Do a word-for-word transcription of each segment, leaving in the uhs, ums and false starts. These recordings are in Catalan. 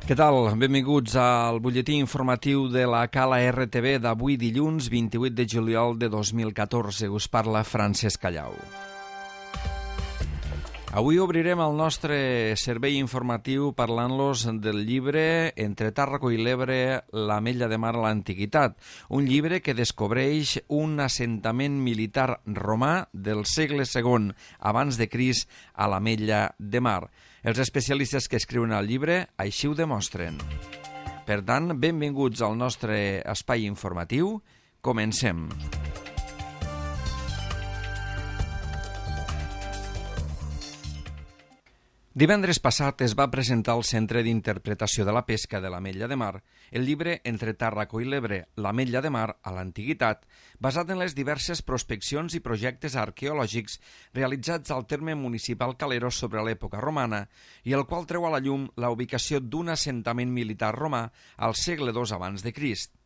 Què tal? Benvinguts al butlletí informatiu de la Cala R T V d'avui dilluns vint-i-vuit de juliol de dos mil catorze. Us parla Francesc Callau. Avui obrirem el nostre servei informatiu parlant-los del llibre Entre Tàrraco i l'Ebre, l'Ametlla de Mar a l'Antiguitat, un llibre que descobreix un assentament militar romà del segle segon abans de Crist a l'Ametlla de Mar. Els especialistes que escriuen el llibre així ho demostren. Per tant, benvinguts al nostre espai informatiu. Comencem. Divendres passat es va presentar al Centre d'Interpretació de la Pesca de l'Ametlla de Mar el llibre Entre Tàrraco i l'Ebre, l'Ametlla de Mar a l'Antiguitat, basat en les diverses prospeccions i projectes arqueològics realitzats al terme municipal calero sobre l'època romana i el qual treu a la llum la ubicació d'un assentament militar romà al segle dos abans de Crist.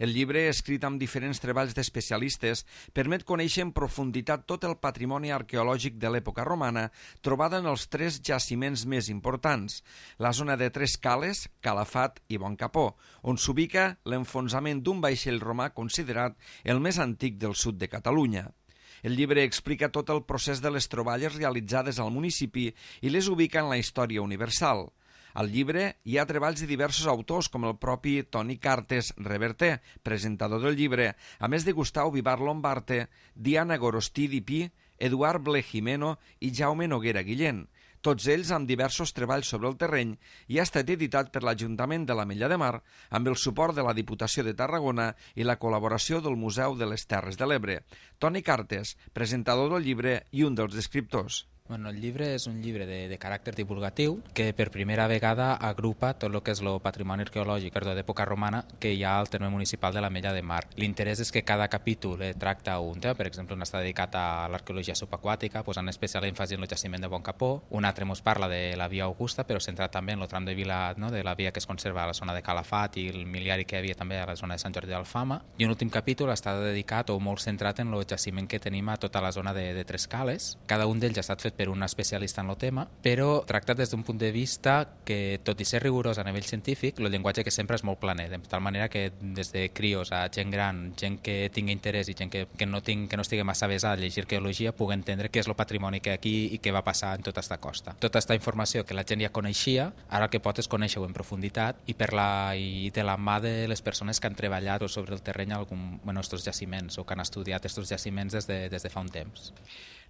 El llibre, escrit amb diferents treballs d'especialistes, permet conèixer en profunditat tot el patrimoni arqueològic de l'època romana trobada en els tres jaciments més importants, la zona de Tres Cales, Calafat i Boncapó, on s'ubica l'enfonsament d'un vaixell romà considerat el més antic del sud de Catalunya. El llibre explica tot el procés de les troballes realitzades al municipi i les ubica en la història universal. Al llibre hi ha treballs de diversos autors com el propi Toni Cartes Reverter, presentador del llibre, a més de Gustau Vivar Lombarte, Diana Gorostí Dipí, Eduard Ble Jimeno i Jaume Noguera Guillén, tots ells amb diversos treballs sobre el terreny, i ha estat editat per l'Ajuntament de l'Ametlla de Mar amb el suport de la Diputació de Tarragona i la col·laboració del Museu de les Terres de l'Ebre. Toni Cartes, presentador del llibre i un dels escriptors. Bueno, el llibre és un llibre de, de caràcter divulgatiu que per primera vegada agrupa tot el que és el patrimoni arqueològic d'època romana que hi ha al terme municipal de l'Ametlla de Mar. L'interès és que cada capítol eh, tracta un tema, per exemple, un està dedicat a l'arqueologia subaquàtica, posant especial èmfasi en el jaciment de Boncapó, un altre ens parla de la via Augusta, però centrat també en el tram de vila, no?, de la via que es conserva a la zona de Calafat i el miliari que hi havia també a la zona de Sant Jordi d'Alfama, i un últim capítol està dedicat o molt centrat en el jaciment que tenim a tota la zona de, de Tres Cales. Cada un d'ells ha estat fet per un especialista en el tema, però tractat des d'un punt de vista que, tot i ser rigorós a nivell científic, el llenguatge que sempre és molt planer, de tal manera que des de crios a gent gran, gent que tingui interès i gent que, que, no, ting, que no estigui massa avesada a llegir arqueologia, pugui entendre què és el patrimoni que hi ha aquí i què va passar en tota esta costa. Tota aquesta informació que la gent ja coneixia, ara el que pot és conèixer-ho en profunditat i, per la, i de la mà de les persones que han treballat sobre el terreny algun, bueno, estos jaciments o que han estudiat estos jaciments des de, des de fa un temps.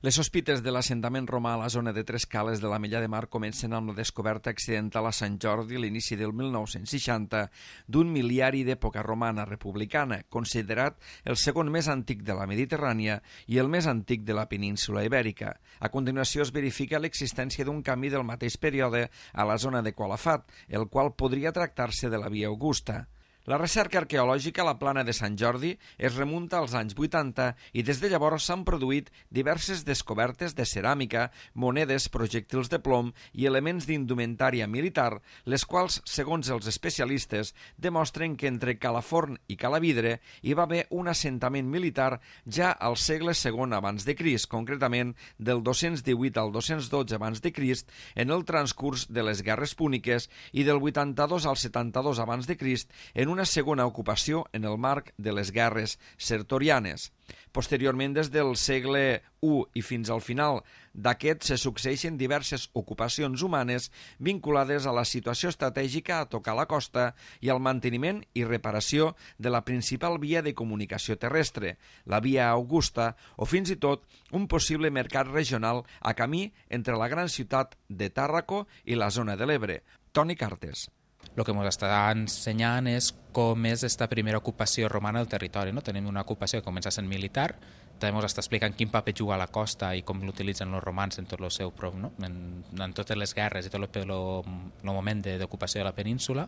Les sospites de l'assentament romà a la zona de Tres Cales de l'Ametlla de Mar comencen amb la descoberta accidental a Sant Jordi a l'inici del mil nou-cents seixanta d'un miliari d'època romana republicana, considerat el segon més antic de la Mediterrània i el més antic de la península Ibèrica. A continuació es verifica l'existència d'un camí del mateix període a la zona de Calafat, el qual podria tractar-se de la via Augusta. La recerca arqueològica a la plana de Sant Jordi es remunta als anys vuitanta i des de llavors s'han produït diverses descobertes de ceràmica, monedes, projectils de plom i elements d'indumentària militar, les quals, segons els especialistes, demostren que entre Calaforn i Calavidre hi va haver un assentament militar ja al segle segon abans de Crist, concretament del dos-cents divuit al dos-cents dotze abans de Crist, en el transcurs de les guerres púniques, i del vuitanta-dos al setanta-dos abans de Crist en una segona ocupació en el marc de les guerres sertorianes. Posteriorment, des del segle u i fins al final d'aquest, se succeeixen diverses ocupacions humanes vinculades a la situació estratègica a tocar la costa i al manteniment i reparació de la principal via de comunicació terrestre, la via Augusta, o fins i tot un possible mercat regional a camí entre la gran ciutat de Tàrraco i la zona de l'Ebre. Toni Cartes. El que ens està ensenyant és com és esta primera ocupació romana del territori. No? Tenim una ocupació que comença sent militar, també ens està explicant quin paper juga a la costa i com l'utilitzen els romans en tot el seu prop, no? en, en totes les guerres i tot el, el, el moment d'ocupació de la península,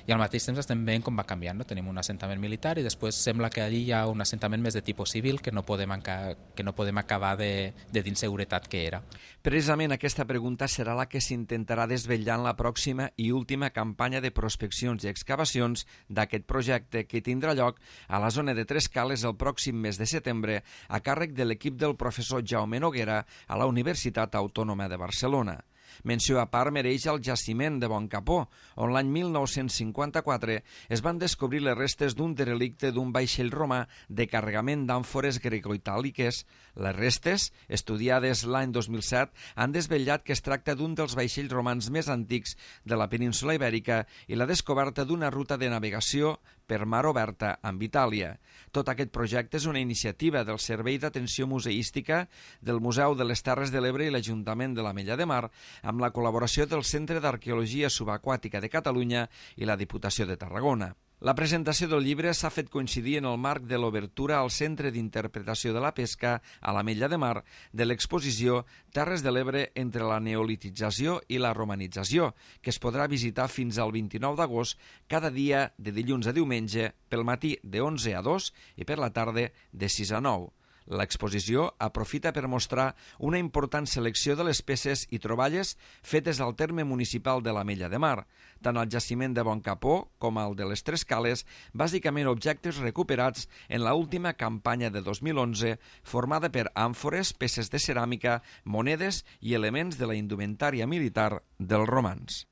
i al mateix temps estem veient com va canviant. No? Tenim un assentament militar i després sembla que allí hi ha un assentament més de tipus civil que no podem, enca, que no podem acabar de, de d'inseguretat que era. Precisament aquesta pregunta serà la que s'intentarà desvetllar en la pròxima i última campanya de prospeccions i excavacions d'aquest projecte, que tindrà lloc a la zona de Tres Cales el pròxim mes de setembre a càrrec de l'equip del professor Jaume Noguera a la Universitat Autònoma de Barcelona. Menció a part mereix el jaciment de Boncapó, on l'any mil nou-cents cinquanta-quatre es van descobrir les restes d'un derelicte d'un vaixell romà de carregament d'àmfores grecoitàliques. Les restes, estudiades l'any dos mil set, han desvetllat que es tracta d'un dels vaixells romans més antics de la península Ibèrica i la descoberta d'una ruta de navegació per mar oberta amb Itàlia. Tot aquest projecte és una iniciativa del Servei d'Atenció Museística del Museu de les Terres de l'Ebre i l'Ajuntament de l'Ametlla de Mar, amb la col·laboració del Centre d'Arqueologia Subaquàtica de Catalunya i la Diputació de Tarragona. La presentació del llibre s'ha fet coincidir en el marc de l'obertura al Centre d'Interpretació de la Pesca a l'Ametlla de Mar de l'exposició Terres de l'Ebre entre la neolitització i la romanització, que es podrà visitar fins al vint-i-nou d'agost cada dia de dilluns a diumenge pel matí de onze a dos i per la tarda de sis a nou. L'exposició aprofita per mostrar una important selecció de les peces i troballes fetes al terme municipal de l'Ametlla de Mar, tant al jaciment de Boncapó com al de les Tres Cales, bàsicament objectes recuperats en l'última campanya de dos mil onze, formada per àmfores, peces de ceràmica, monedes i elements de la indumentària militar dels romans.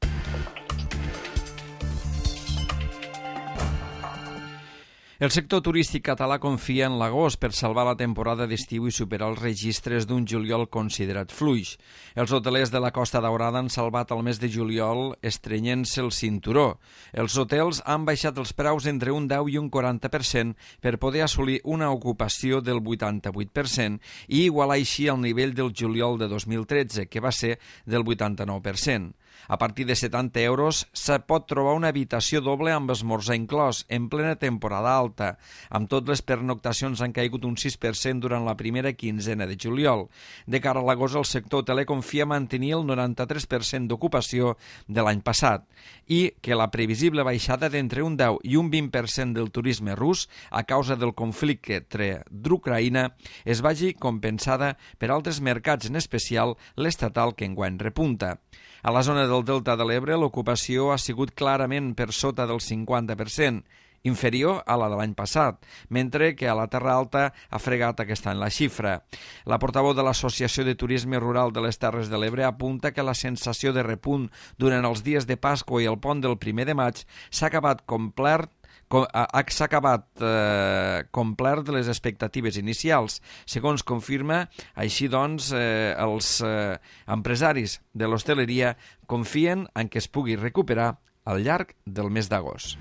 El sector turístic català confia en l'agost per salvar la temporada d'estiu i superar els registres d'un juliol considerat fluix. Els hotelers de la Costa Daurada han salvat el mes de juliol estrenyent-se el cinturó. Els hotels han baixat els preus entre un deu i un quaranta per cent per poder assolir una ocupació del vuitanta-vuit per cent i igualar així el nivell del juliol de dos mil tretze, que va ser del vuitanta-nou per cent. A partir de setanta euros se pot trobar una habitació doble amb esmorzar inclòs en plena temporada alta. Amb tot, les pernoctacions han caigut un sis per cent durant la primera quinzena de juliol. De cara a l'agost, el sector hoteler confia mantenir el noranta-tres per cent d'ocupació de l'any passat i que la previsible baixada d'entre un deu i un vint per cent del turisme rus a causa del conflicte entre d'Ucraïna es vagi compensada per altres mercats, en especial l'estatal, que enguany repunta. A la zona del Delta de l'Ebre, l'ocupació ha sigut clarament per sota del cinquanta per cent, inferior a la de l'any passat, mentre que a la Terra Alta ha fregat aquest any la xifra. La portaveu de l'Associació de Turisme Rural de les Terres de l'Ebre apunta que la sensació de repunt durant els dies de Pasqua i el pont del primer de maig s'ha acabat complert s'ha acabat eh, complert de les expectatives inicials. Segons confirma, així doncs, eh, els eh, empresaris de l'hostaleria confien en que es pugui recuperar al llarg del mes d'agost.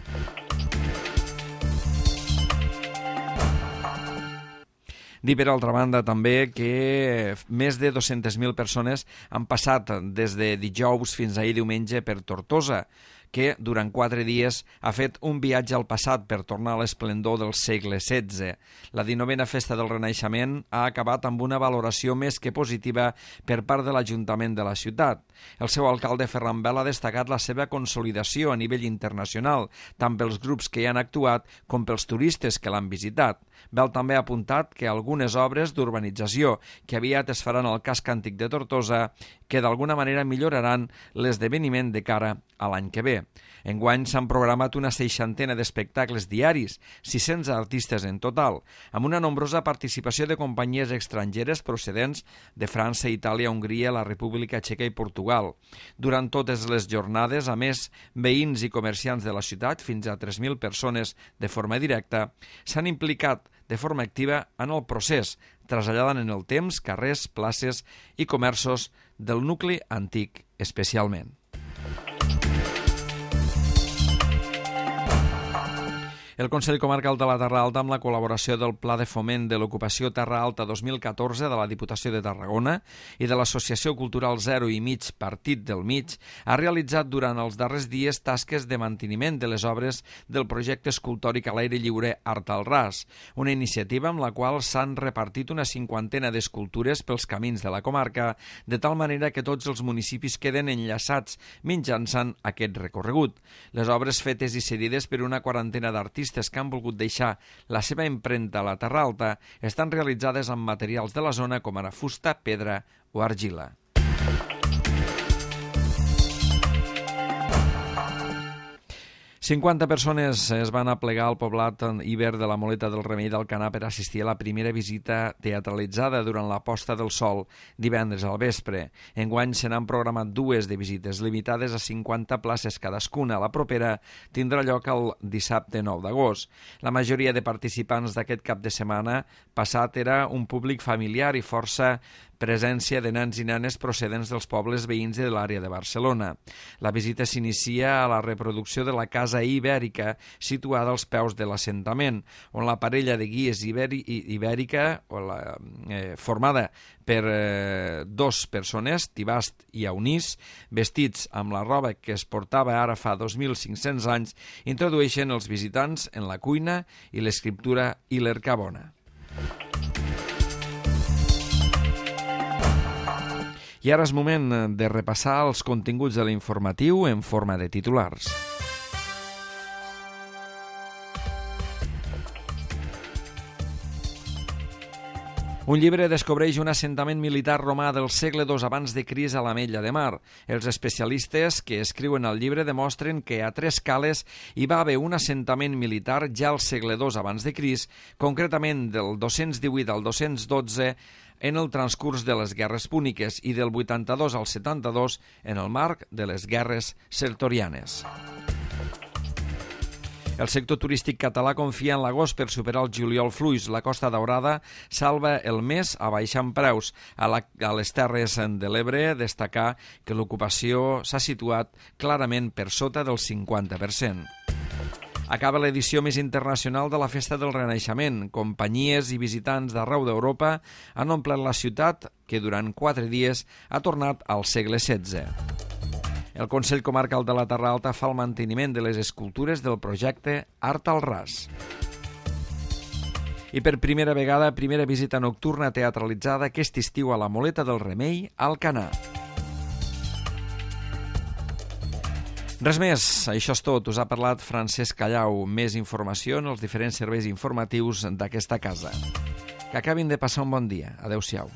Dir, per altra banda, també que més de dos-centes mil persones han passat des de dijous fins ahir diumenge per Tortosa, que durant quatre dies ha fet un viatge al passat per tornar a l'esplendor del segle setze. La dinovena Festa del Renaixement ha acabat amb una valoració més que positiva per part de l'Ajuntament de la ciutat. El seu alcalde, Ferran Bel, ha destacat la seva consolidació a nivell internacional, tant pels grups que hi han actuat com pels turistes que l'han visitat. Bel també ha apuntat que algunes obres d'urbanització que aviat es faran al casc antic de Tortosa que d'alguna manera milloraran l'esdeveniment de cara a l'any que ve. Enguany s'han programat una seixantena d'espectacles diaris, sis-cents artistes en total, amb una nombrosa participació de companyies estrangeres procedents de França, Itàlia, Hongria, la República Txeca i Portugal. Durant totes les jornades, a més, veïns i comerciants de la ciutat, fins a tres mil persones de forma directa, s'han implicat de forma activa en el procés, traslladant en el temps carrers, places i comerços del nucli antic especialment. El Consell Comarcal de la Terra Alta, amb la col·laboració del Pla de Foment de l'Ocupació Terra Alta dos mil catorze de la Diputació de Tarragona i de l'Associació Cultural Zero i Mig Partit del Mig, ha realitzat durant els darrers dies tasques de manteniment de les obres del projecte escultòric a l'aire lliure Art al Ras, una iniciativa amb la qual s'han repartit una cinquantena d'escultures pels camins de la comarca, de tal manera que tots els municipis queden enllaçats mitjançant aquest recorregut. Les obres fetes i cedides per una quarantena d'artistes que han volgut deixar la seva empremta a la Terra Alta estan realitzades amb materials de la zona com ara fusta, pedra o argila. cinquanta persones es van aplegar al poblat Iber de la Moleta del Remei d'Alcanar per assistir a la primera visita teatralitzada durant la posta del sol divendres al vespre. Enguany se n'han programat dues de visites limitades a cinquanta places cadascuna. La propera tindrà lloc el dissabte nou d'agost. La majoria de participants d'aquest cap de setmana passat era un públic familiar i força presència de nens i nenes procedents dels pobles veïns de l'àrea de Barcelona. La visita s'inicia a la reproducció de la Casa Ibèrica, situada als peus de l'assentament, on la parella de guies ibèri ibèrica, o la, eh, formada per eh, dos persones, Tibast i Aunís, vestits amb la roba que es portava ara fa dos mil cinc-cents anys, introdueixen els visitants en la cuina i l'escriptura i l'Ercabona. I ara és moment de repassar els continguts de l'informatiu en forma de titulars. Un llibre descobreix un assentament militar romà del segle dos abans de Crist a l'Ametlla de Mar. Els especialistes que escriuen el llibre demostren que a Tres Cales hi va haver un assentament militar ja al segle dos abans de Crist, concretament del dos-cents divuit al dos-cents dotze, en el transcurs de les guerres púniques i del vuitanta-dos al setanta-dos en el marc de les guerres sertorianes. El sector turístic català confia en l'agost per superar el juliol fluix. La Costa Daurada salva el mes abaixant preus. A, la, a les Terres de l'Ebre destacar que l'ocupació s'ha situat clarament per sota del cinquanta per cent. Acaba l'edició més internacional de la Festa del Renaixement. Companyies i visitants d'arreu d'Europa han omplert la ciutat, que durant quatre dies ha tornat al segle setze. El Consell Comarcal de la Terra Alta fa el manteniment de les escultures del projecte Art al Ras. I per primera vegada, primera visita nocturna teatralitzada aquest estiu a la Moleta del Remei, a Alcanar. Res més, això és tot. Us ha parlat Francesc Callau. Més informació en els diferents serveis informatius d'aquesta casa. Que acabin de passar un bon dia. Adéu-siau.